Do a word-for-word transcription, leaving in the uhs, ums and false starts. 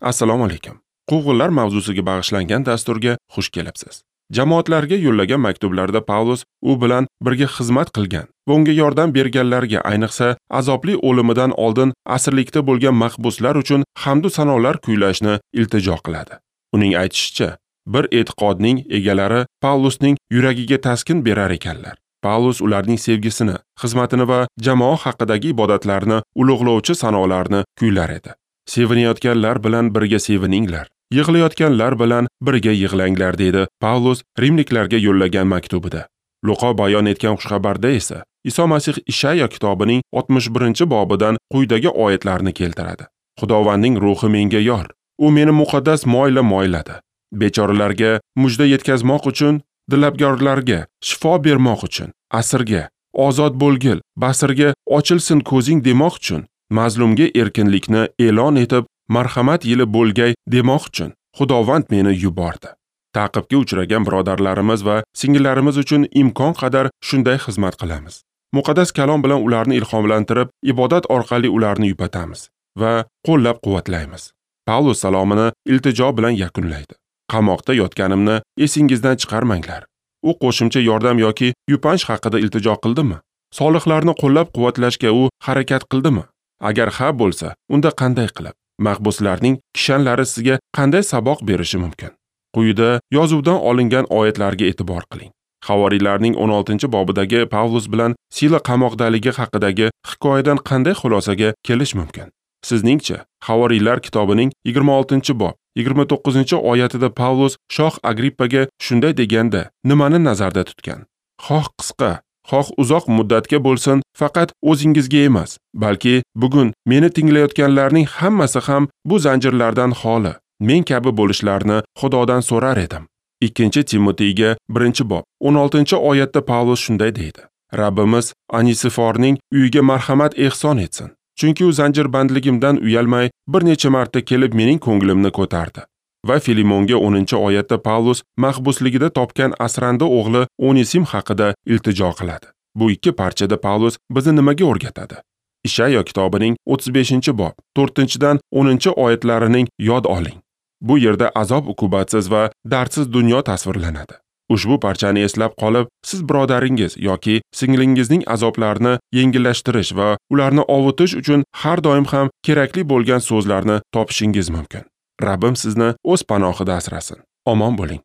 Assalomu alaykum. Quvg'inlar mavzusiga bag'ishlangan dasturga xush kelibsiz. Jamoatlarga yo'llagan maktublarda Pavlus u bilan birga xizmat qilgan va unga yordam berganlarga, ayniqsa azobli o'limidan oldin asirlikda bo'lgan mahbuslar uchun hamd va sanolar kuylashni iltijo qiladi. Uning aytishicha, bir e'tiqodning egalari Pavlusning yuragiga taskin berar ekanlar. Pavlus ularning sevgisini, xizmatini va jamoa haqidagi ibodatlarini ulug'lovchi sanolarni kuylar edi. Sevinayotganlar bilan birga sevininglar, yig'layotganlar bilan birga yig'langlar, dedi Pavlus rimliklarga yo'llagan maktubida. Luqo bayon etgan xushxabarda esa Iso Masih Ishayo kitobining oltmish birinchi bobidan quyidagi oyatlarni keltiradi. Xudovandning ruhi menga yor, u meni muqaddas moyla moyladi. Bechoralarga mujda yetkazmoq uchun, dilabgorlarga shifo bermoq uchun, asirga ozod bo'lgil, basirga ochilsin ko'zing demoq uchun, mazlumga erkinlikni e'lon etib, marhamat yili bo'lgay demoq uchun Xudovand meni yubordi. Ta'qibga uchragan birodarlarimiz va singillarimiz uchun imkon qadar shunday xizmat qilamiz. Muqaddas kalom bilan ularni ilhomlantirib, ibodat orqali ularni yupatamiz va qo'llab-quvvatlaymiz. Pavlus salomini iltijo bilan yakunlaydi. Qamoqda yotganimni esingizdan chiqarmanglar. U qo'shimcha yordam yoki yupanch haqida iltijo qildimi? Solihlarni qo'llab-quvvatlashga u harakat qildimi? Agar ha bo'lsa, unda qanday qilib? Mahbuslarning kishanlari sizga qanday saboq berishi mumkin? Quyida yozuvdan olingan oyatlarga e'tibor qiling. Havoriylarning o'n oltinchi bobidagi Pavlus bilan Sila qamoqdaligi haqidagi hikoyadan qanday xulosaga kelish mumkin? Sizningcha, Havoriylar kitobining yigirma oltinchi bob yigirma to'qqizinchi oyatida Pavlus shoh Agrippaga shunday deganda nimani nazarda tutgan? Xoh qisqa, xoh uzoq muddatga bo'lsin, faqat o'zingizga emas, balki bugun meni tinglayotganlarning hammasi ham bu zanjirlardan xoli, men kabi bo'lishlarini Xudodan so'rar edim. Ikkinchi Timoteyga birinchi bob o'n oltinchi oyatda Pavlus shunday deydi: Rabbimiz Anisiforning uyiga marhamat ehson etsin. Chunki u zanjirbandligimdan uyalmay bir necha marta kelib mening ko'nglimni ko'tardi. Va Filimonga o'ninchi oyatda Pavlus mahbusligida topgan asrandi o'g'li Onisim haqida iltijo qiladi. Bu ikki parchada Pavlus bizni nimaga o'rgatadi? Ishayo kitobining o'ttiz beshinchi bob to'rtinchidan o'ninchi oyatlarining yod oling. Bu yerda azob uqubatsiz va dardsiz dunyo tasvirlanadi. Ushbu parchani eslab qolib, siz birodaringiz yoki singlingizning azoblarini yengillashtirish va ularni ovutish uchun har doim ham kerakli bo'lgan so'zlarni topishingiz mumkin. Rabbim sizni o'z panohida asrasin. Omon bo'ling.